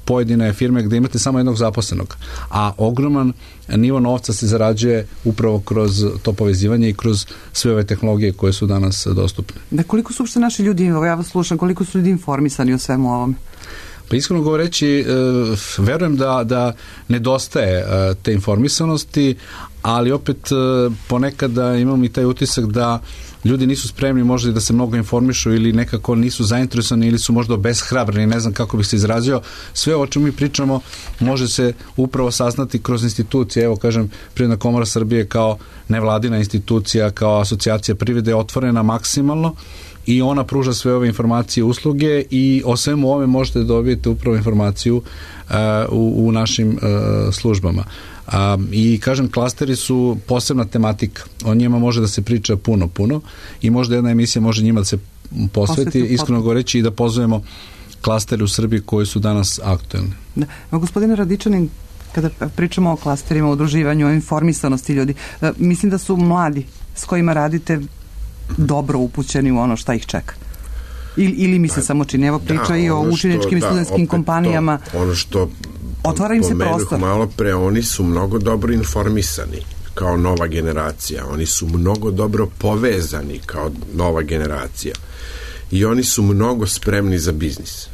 pojedine firme gde imate samo jednog zaposlenog, a ogroman nivo novca se zarađuje upravo kroz to povezivanje i kroz sve ove tehnologije koje su danas dostupne. Da, koliko su uopšte naši ljudi, ja vas slušam, koliko su ljudi informisani o svemu ovome? Pa iskreno govoreći, verujem da nedostaje te informisanosti, ali opet ponekada imam i taj utisak da ljudi nisu spremni možda da se mnogo informišu ili nekako nisu zainteresovani ili su možda obeshrabreni, ne znam kako bih se izrazio. Sve o čemu mi pričamo može se upravo saznati kroz institucije. Evo, kažem, Privredna komora Srbije kao nevladina institucija, kao asocijacija privrede je otvorena maksimalno i ona pruža sve ove informacije i usluge i o svemu ovome možete da dobijete upravo informaciju u našim službama. I kažem, klasteri su posebna tematika. O njima može da se priča puno i možda jedna emisija može njima da se posveti, iskreno govoreći, i da pozovemo klastere u Srbiji koji su danas aktuelni. Da. Gospodine Radičanin, kada pričamo o klasterima, o udruživanju, o informisanosti ljudi, mislim da su mladi s kojima radite dobro upućeni u ono šta ih čeka. Ili mi se samo čini, evo priča i o učeničkim i studentskim kompanijama. Ono što otvara im se prostor. Malo pre, oni su mnogo dobro informisani kao nova generacija. Oni su mnogo dobro povezani kao nova generacija. I oni su mnogo spremni za biznis.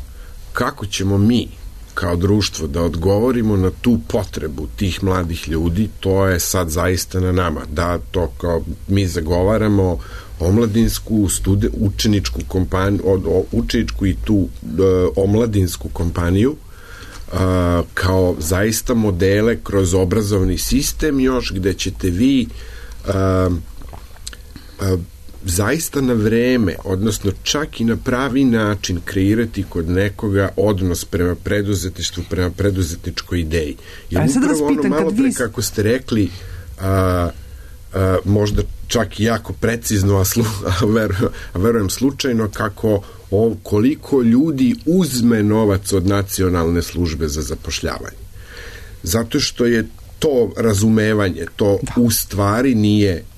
Kako ćemo mi kao društvo da odgovorimo na tu potrebu tih mladih ljudi, to je sad zaista na nama. Da, to kao mi zagovaramo omladinsku, učeničku kompaniju, učeničku i tu omladinsku kompaniju kao zaista modele kroz obrazovni sistem još gde ćete vi zaista na vreme, odnosno čak i na pravi način kreirati kod nekoga odnos prema preduzetništvu, prema preduzetničkoj ideji. Jer upravo ono malo pre kako ste rekli, možda čak i jako precizno, a verujem slučajno, koliko ljudi uzme novac od Nacionalne službe za zapošljavanje. Zato što je to razumevanje, to u stvari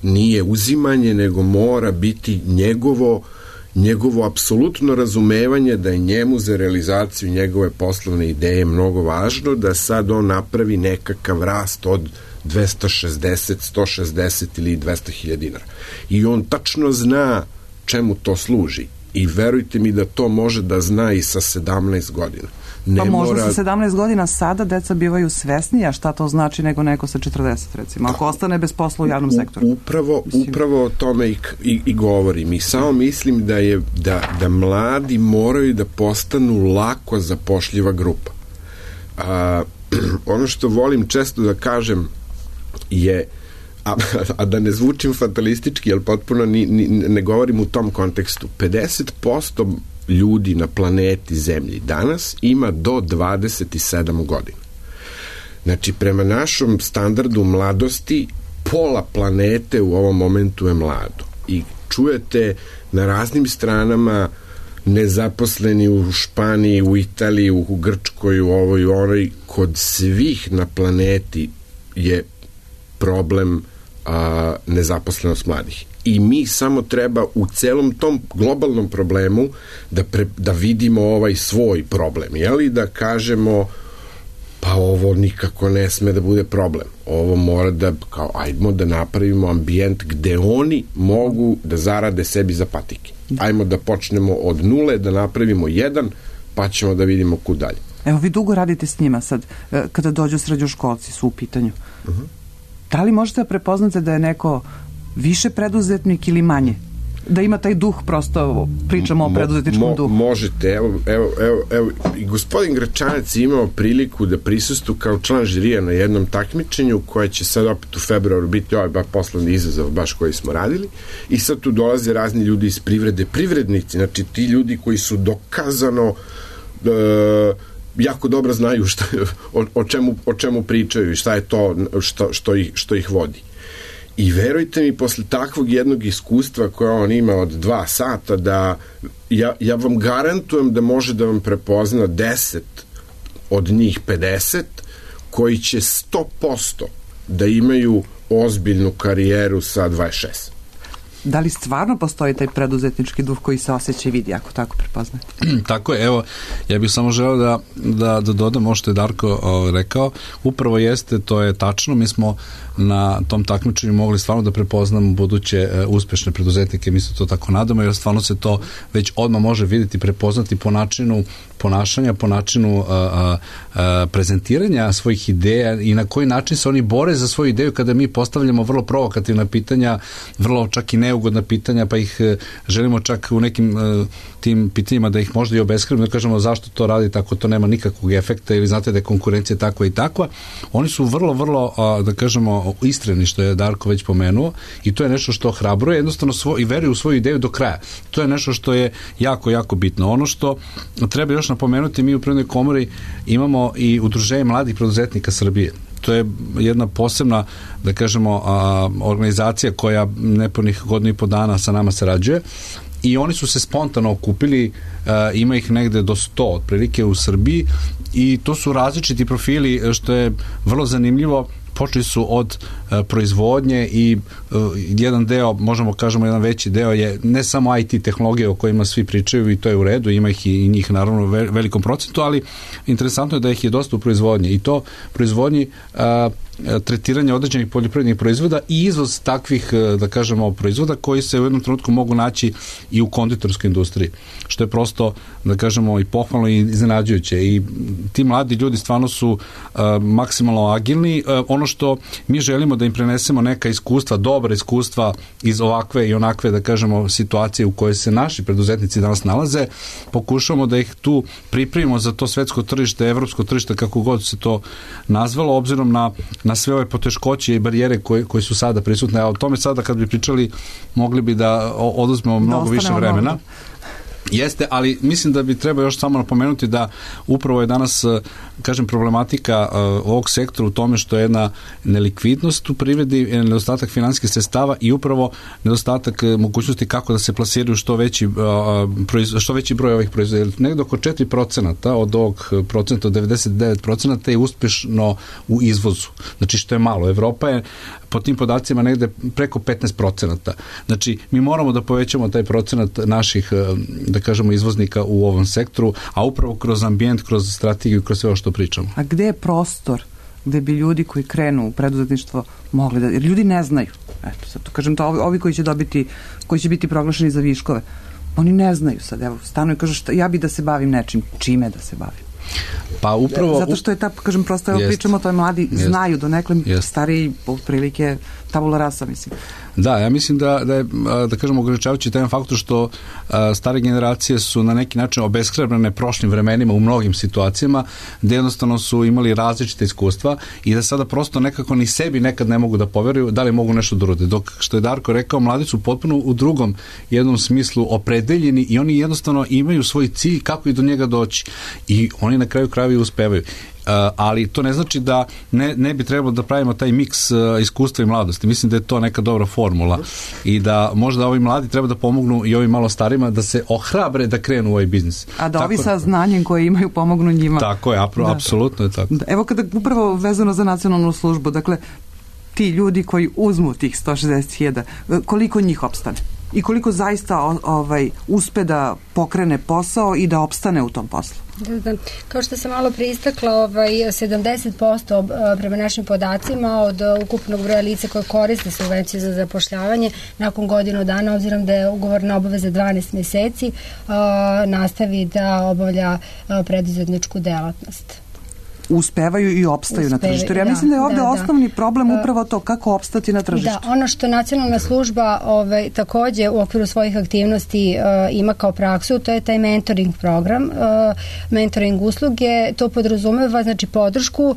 nije uzimanje, nego mora biti njegovo apsolutno razumevanje da je njemu za realizaciju njegove poslovne ideje mnogo važno da sad on napravi nekakav rast od 260, 160 ili 200.000 dinara. I on tačno zna čemu to služi. I verujte mi da to može da zna i sa 17 godina. Pa možda sa 17 godina sada deca bivaju svesnija šta to znači nego neko sa 40, recimo, ako ostane bez posla u javnom sektoru. Upravo o tome i govorim. I samo mislim da mladi moraju da postanu lako zapošljiva grupa. Ono što volim često da kažem je, a da ne zvučim fatalistički, jer potpuno ne govorim u tom kontekstu, 50% ljudi na planeti Zemlji danas ima do 27 godina. Znači, prema našom standardu mladosti, pola planete u ovom momentu je mlado. I čujete na raznim stranama nezaposleni u Španiji, u Italiji, u Grčkoj, u ovoj, onoj, kod svih na planeti je problem nezaposlenost mladih. I mi samo treba u celom tom globalnom problemu da vidimo ovaj svoj problem, jeli, da kažemo pa ovo nikako ne sme da bude problem. Ovo mora da, ajmo da napravimo ambijent gde oni mogu da zarade sebi za patike. Ajmo da počnemo od nule, da napravimo jedan, pa ćemo da vidimo kud dalje. Evo, vi dugo radite s njima sad, kada dođu srednjoškolci su u pitanju. Da li možete da prepoznate da je neko više preduzetnik ili manje? Da ima taj duh, prosto pričamo o preduzetničkom duhu. Možete, evo, i gospodin Gračanac je imao priliku da prisustuje kao član žirija na jednom takmičenju koje će sad opet u februaru biti poslovni izazov baš koji smo radili, i sad tu dolaze razni ljudi iz privrede, privrednici, znači ti ljudi koji su dokazano jako dobro znaju o čemu pričaju i šta je to što ih vodi. I verujte mi, posle takvog jednog iskustva koje on ima od 2 sata, da ja vam garantujem da može da vam prepozna 10 od njih 50 koji će 100% da imaju ozbiljnu karijeru sa 26. Da li stvarno postoji taj preduzetnički duh koji se osjeća i vidi, ako tako prepoznate? Tako je, evo, ja bih samo želeo da dodam ovo što je Darko rekao, upravo jeste, to je tačno, mi smo na tom takmičenju mogli stvarno da prepoznamo buduće uspešne preduzetnike, mi se to tako nadamo, jer stvarno se to već odmah može vidjeti, prepoznati po načinu ponašanja, po načinu prezentiranja svojih ideja i na koji način se oni bore za svoju ideju kada mi postavljamo vrlo provokativna pitanja, vrlo čak i neugodna pitanja, pa ih želimo čak u nekim tim pitanjima da ih možda i obeskrivimo, da kažemo zašto to radi tako, to nema nikakvog efekta, ili znate da je konkurencija takva i takva. Oni su vrlo, da kažemo, iskreni, što je Darko već pomenuo, i to je nešto što ohrabruje, jednostavno i veruju u svoju ideju do kraja. To je nešto što je jako, jako bitno. Ono što treba još napomenuti, mi u Privrednoj komori imamo i Udruženje mladih preduzetnika Srbije. To je jedna posebna, da kažemo, organizacija koja nepunih 1,5 dana sa nama sarađuje, i oni su se spontano okupili, ima ih negde do 100 otprilike u Srbiji, i to su različiti profili, što je vrlo zanimljivo. Počeli su od proizvodnje i jedan deo, možemo kažemo jedan veći deo je ne samo IT tehnologije o kojima svi pričaju, i to je u redu, ima ih i njih naravno u velikom procentu, ali interesantno je da ih je dosta u proizvodnji, i to proizvodnji tretiranja određenih poljoprivrednih proizvoda i izvoz takvih, da kažemo, proizvoda koji se u jednom trenutku mogu naći i u konditorskoj industriji, što je prosto, da kažemo, i pohvalno i iznenađujuće. I ti mladi ljudi stvarno su maksimalno agilni. Ono ono što mi želimo da im prenesemo neka iskustva, dobra iskustva iz ovakve i onakve, da kažemo, situacije u kojoj se naši preduzetnici danas nalaze, pokušamo da ih tu pripremimo za to svetsko tržište, evropsko tržište, kako god se to nazvalo, obzirom na sve ove poteškoće i barijere koje su sada prisutne. A o tome sada kad bi pričali, mogli bi da oduzmemo mnogo više vremena. Jeste, ali mislim da bi treba još samo napomenuti da upravo je danas, kažem, problematika ovog sektora u tome što je jedna nelikvidnost u privredi, nedostatak finansijskih sredstava i upravo nedostatak mogućnosti kako da se plasiraju što veći broj ovih proizvoda. Negdje oko 4% od ovog procenta, od 99% je uspješno u izvozu. Znači što je malo. Evropa je po tim podacima negde preko 15%. Znači, mi moramo da povećamo taj procenat naših, da kažemo, izvoznika u ovom sektoru, a upravo kroz ambijent, kroz strategiju, kroz sve ovo što pričamo. A gde je prostor gde bi ljudi koji krenu u preduzetništvo mogli da... Jer ljudi ne znaju. Eto, sad to kažem, to ovi koji će biti proglašeni za viškove, oni ne znaju sad. Evo, stanu i kažu ja bi da se bavim nečim. Čime da se bavim? Pa upravo... Zato što je kažem, prosto evo pričamo, to je mladi znaju donekle, stariji otprilike tabula rasa, mislim. Da, ja mislim da je, da kažemo, ograničavajući taj faktor što stare generacije su na neki način obeshrabrene prošlim vremenima u mnogim situacijama, gde jednostavno su imali različite iskustva i da sada prosto nekako ni sebi nekad ne mogu da poveruju da li mogu nešto da urade. Dok, što je Darko rekao, mladi su potpuno u drugom jednom smislu opredeljeni i oni jednostavno imaju svoj cilj kako i do njega doći. I oni na kraju krajeva uspevaju. Ali to ne znači da ne bi trebalo da pravimo taj miks iskustva i mladosti. Mislim da je to neka dobra formula i da možda ovi mladi treba da pomognu i ovim malo starima da se ohrabre da krenu u ovaj biznis. A da ovi sa znanjem koje imaju pomognu njima. Tako je, apsolutno je tako. Evo kada upravo vezano za nacionalnu službu, dakle ti ljudi koji uzmu tih 160.000, koliko njih opstane? I koliko zaista uspe da pokrene posao i da opstane u tom poslu? Da. Kao što sam malo pristakla, 70% prema našim podacima od ukupnog broja lica koje koriste subvencije za zapošljavanje nakon godinu dana, obzirom da je ugovorna obaveza 12 mjeseci, nastavi da obavlja preduzetničku delatnost. Uspevaju i opstaju na tržištu. Ja mislim da je ovdje osnovni problem upravo to kako opstati na tržištu. Da, ono što nacionalna služba također u okviru svojih aktivnosti ima kao praksu, to je taj mentoring program, mentoring usluge, to podrazumeva znači podršku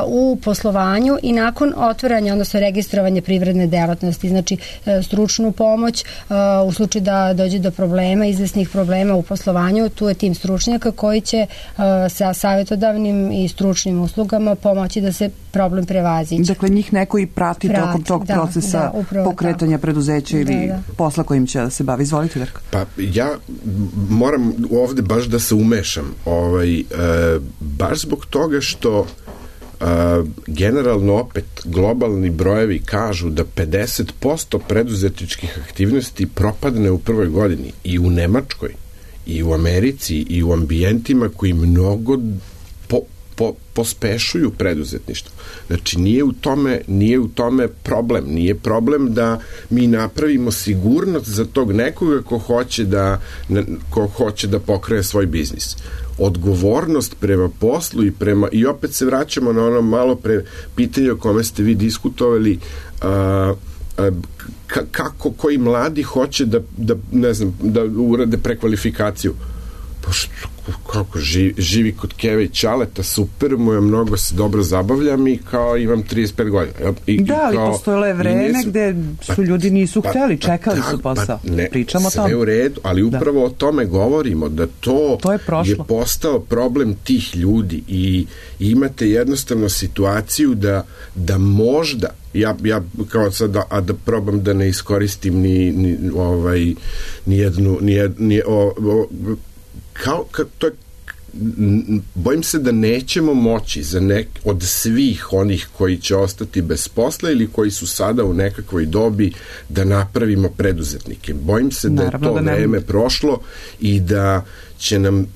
u poslovanju i nakon otvaranja, odnosno registrovanja privredne delatnosti, znači stručnu pomoć u slučaju da dođe do problema, izvesnih problema u poslovanju, tu je tim stručnjaka koji će sa savjetodavnim i stručnim uslugama pomoći da se problem prevaziđe. Dakle, njih neko i prati tokom tog procesa pokretanja preduzeća ili posla kojim će da se bavi. Izvolite, Darko. Pa ja moram ovde baš da se umešam. Baš zbog toga što generalno opet globalni brojevi kažu da 50% preduzetničkih aktivnosti propadne u prvoj godini i u Nemačkoj i u Americi i u ambijentima koji mnogo pospešuju preduzetništvo. Znači, nije u tome problem. Nije problem da mi napravimo sigurnost za tog nekoga ko hoće da pokrene svoj biznis. Odgovornost prema poslu i opet se vraćamo na ono malo pre pitanje o kome ste vi diskutovali, kako koji mladi hoće da urade prekvalifikaciju. Kako živi kod Keve i Ćaleta, super mu je, mnogo se dobro zabavljam i kao imam 35 godina. Ali postojalo je vreme gde su ljudi nisu hteli, čekali su posao. Pričamo o tome. Sve u redu, ali upravo o tome govorimo, da to je postao problem tih ljudi i imate jednostavno situaciju da možda ja kao sad da probam da ne iskoristim ni jednu bojim se da nećemo moći od svih onih koji će ostati bez posla ili koji su sada u nekakvoj dobi da napravimo preduzetnike. Bojim se da je to vreme prošlo i da će nam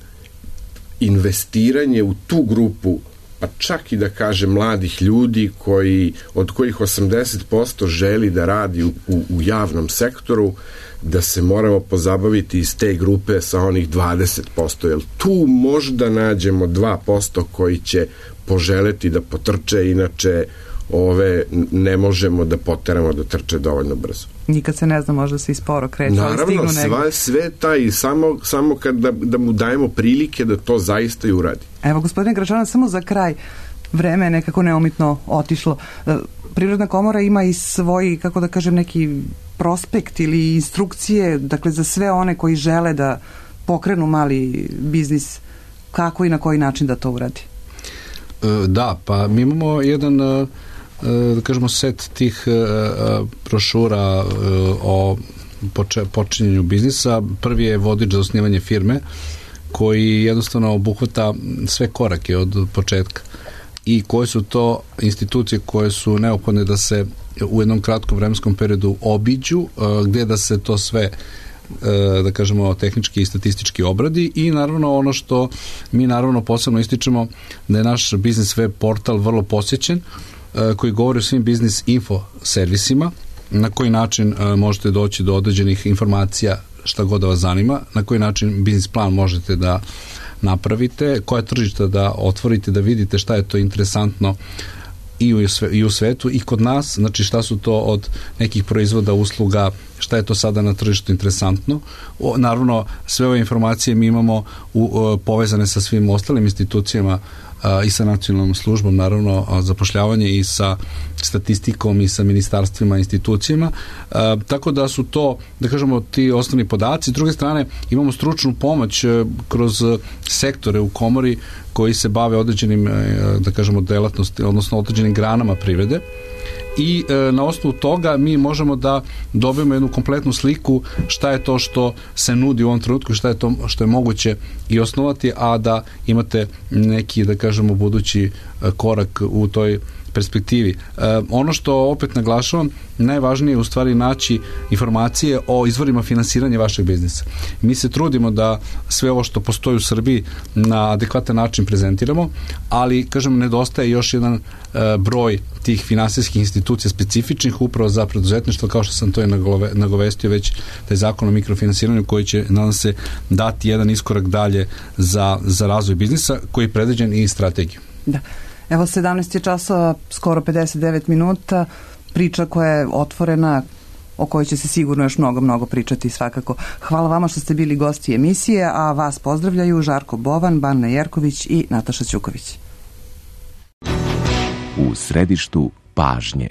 investiranje u tu grupu, pa čak i da kaže mladih ljudi od kojih 80% želi da radi u javnom sektoru, da se moramo pozabaviti iz te grupe sa onih 20%, jer tu možda nađemo 2% koji će poželeti da potrče, inače ne možemo da poteramo da trče dovoljno brzo. Nikad se ne zna, možda se i sporo kreću, ali stignu negdje. Naravno, sve taj, samo kad da mu dajemo prilike da to zaista i uradi. Evo, gospodine Gračanac, samo za kraj, vreme je nekako neumitno otišlo. Privredna komora ima i svoj, kako da kažem, neki prospekt ili instrukcije, dakle, za sve one koji žele da pokrenu mali biznis, kako i na koji način da to uradi? Da, pa mi imamo jedan, da kažemo, set tih brošura o počinjenju biznisa. Prvi je vodič za osnivanje firme, koji jednostavno obuhvata sve korake od početka i koje su to institucije koje su neophodne da se u jednom kratkom vremenskom periodu obiđu, gde da se to sve, da kažemo, tehnički i statistički obradi, i naravno ono što mi naravno posebno ističemo, da je naš biznis web portal vrlo posjećen, koji govori o svim biznis info servisima, na koji način možete doći do određenih informacija, šta god da vas zanima, na koji način biznis plan možete da napravite, koje tržište da otvorite, da vidite šta je to interesantno i u svetu i kod nas, znači šta su to od nekih proizvoda, usluga, šta je to sada na tržištu interesantno. Naravno, sve ove informacije mi imamo povezane sa svim ostalim institucijama i sa nacionalnom službom, naravno, zapošljavanje, i sa statistikom i sa ministarstvima, institucijama, tako da su to, da kažemo, ti osnovni podaci. S druge strane, imamo stručnu pomoć kroz sektore u komori koji se bave određenim, da kažemo, delatnosti, odnosno određenim granama privrede, i na osnovu toga mi možemo da dobijemo jednu kompletnu sliku šta je to što se nudi u ovom trenutku, šta je to što je moguće i osnovati, a da imate neki, da kažemo, budući korak u toj perspektivi. Ono što opet naglašavam, najvažnije je u stvari naći informacije o izvorima finansiranja vašeg biznisa. Mi se trudimo da sve ovo što postoji u Srbiji na adekvatan način prezentiramo, ali, kažem, nedostaje još jedan broj tih finansijskih institucija specifičnih upravo za preduzetništvo, kao što sam to i nagovestio već, taj zakon o mikrofinansiranju koji će, nadam se, dati jedan iskorak dalje za razvoj biznisa, koji je predviđen i strategiju. Da. Evo, 17 je časova, skoro 59 minuta, priča koja je otvorena, o kojoj će se sigurno još mnogo pričati svakako. Hvala vama što ste bili gosti emisije, a vas pozdravljaju Žarko Bovan, Bana Jerković i Nataša Ćuković. U središtu pažnje.